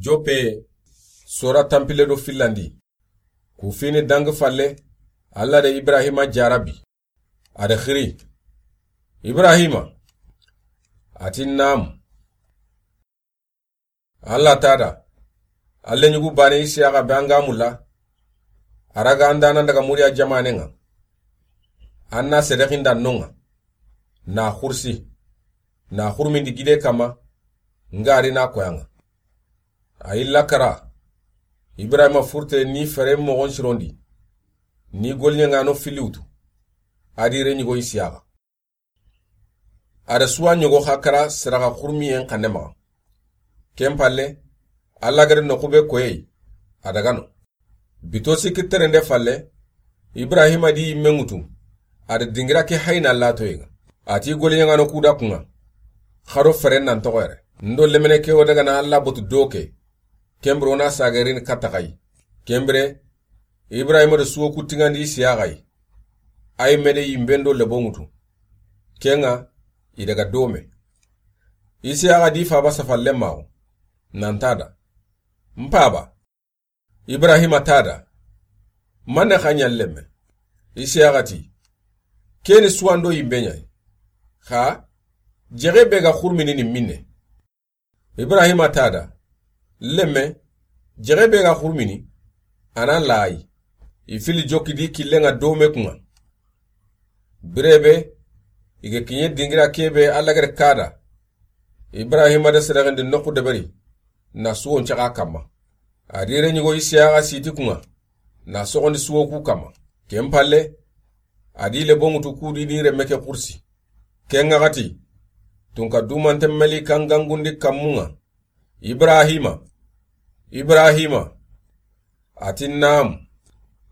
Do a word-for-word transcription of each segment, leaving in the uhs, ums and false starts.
Joppe, sora tanpille do fillandi. Ku fini dangi falle, Alla da Ibrahima jarabi. A da xiri: Ibrahima. A ti: Naamu. Alla ta da: An lenyugu baane Isiyaxa be an ga mulla, a raga an da na daga Muriya jamaanen ŋa, an na sedexinda no ŋa, na xursi, na xurumindi gide kanma, n ga ri na koyan ŋa. A yi lakara, Ibrahima furte ni fere moxon sirondi, ni goliɲaŋano filli wutu, a di renyugo Isiyaxa. A da suwa ɲogo xa kara seraxa xurumiyen xanne maxa. Ken palle, Alla gada noxu be koyeyi, a daga no. Bito sikki terende falle, Ibrahima di yimme ŋutu, a da dingira ke hayina latoye ŋa. A ti goliɲaŋano ku da kun ŋa: Xa do feren nan toxo yere. N do lemine ke wo daga na Alla botu do ke, ken bire wo na sage rini katta xa yi. Ken bire, Ibrahima da suwo ku tiŋandi Isiyaxa yi. A yimme da yimben do lebo ŋutu. Ken ŋa, i daga dome. Isiyaxa di faaba safalle maxo, nan ta da: N faaba. Ibrahima ta da: Manne xa ɲa n lemme? Isiyaxa ti: Ke ni suwando yimbe ɲa yi. Xa jexe be ga xurumini ni minne? Ibrahima ta da: Lemme, jexe be ga xurumini, a na layi, i filli jokki di killen ŋa dome kun ŋa. Bire be, i ga kiɲe dingira ke be Alla gada ka da, Ibrahima da sedexindi noxu deberi, na suwon caxa kanma. A di renyugo Isiyaxa siti kun ŋa, na soxondi suwo ku kanma. Ken palle, a di lebo ŋutu ku di ni remme ke xursi. Ken ŋa xa ti: Tunka dumanten melikan gangundi kanmun ŋa: Ibrahima, Ibrahima. A ti: Naamu.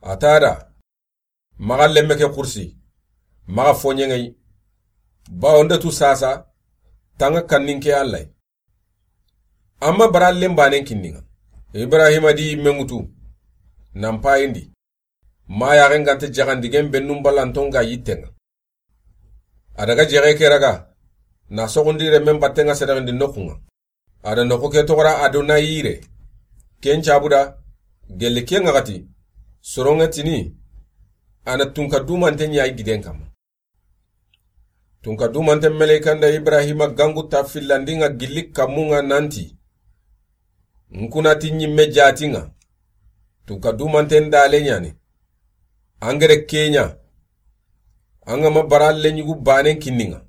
A ta da: Maxa lemme ke xursi, maxa foɲeŋeyi, bawo n da tu sasa, taŋa kanninke Alla yi. Amma bara lembanen kinni ŋa. Ibrahima di yimme ŋutu, nan payindi. Ma yaxen gante jaxandigen bennun balanton ga yitte ŋa. A daga jexe ke raga, na soxundi remmen batten ŋa sedexindi noxun ŋa. A da noxu ke toxora Adonayire. Ken cabu da, gelli ken ŋa xa ti, soronŋe tini, a na tunka dumante ɲa yi giden kanma. Tunka dumanten melekan da Ibrahima gangu ta fillandi ŋa gilli kanmun ŋa nan ti: N kuna ti ɲimme jati ŋa, tunka dumanten dale ɲa ni. An gere ke ɲa, an ga ma bara lenyugu banen kinni ŋa.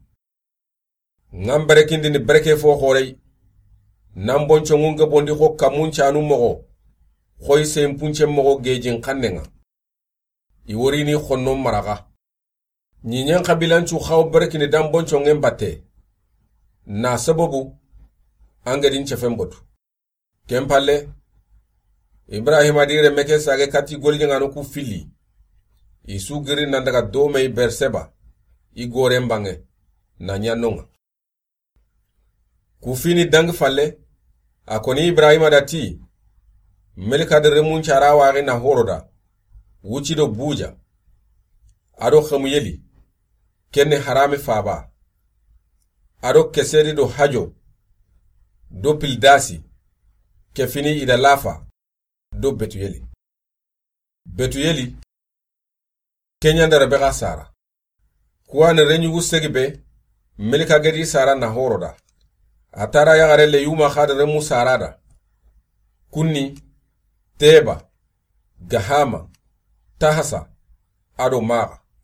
N ga n berekindini bereke fo xoreyi, nan bonconŋun ga bondi xo kanmun canu moxo, xoyi senpuncen moxo gejin xannen ŋa. I worini xonno maraxa. Ɲiɲen xabilancu xawo berekini dan bonconŋen batte. Na sababu, an ga di n cefen botu. Ken palle, Ibrahima di remme ke sage kati goliɲaŋano ku filli. I su giri nan daga domeyi Berseba, i goren banŋe, na ɲa no ŋa. Ku fini dangi falle, a koni Ibrahima da ti: Melika da remun cara waxi na horo da, wuci do buja, a do xemuyeli, ken ni harami faba, a do kesedi do hajo, do pildasi, ke fini i da lafa, do betuyeli. Betuyeli, ke ɲa n da Rebexa sara. Kuwani reɲugu segi be, Melika gedi sara na horo da. A tara yaxare Leyuma xa da remu sara da. Kunni, Teba, Gahama, Tahasa, a do Maxa.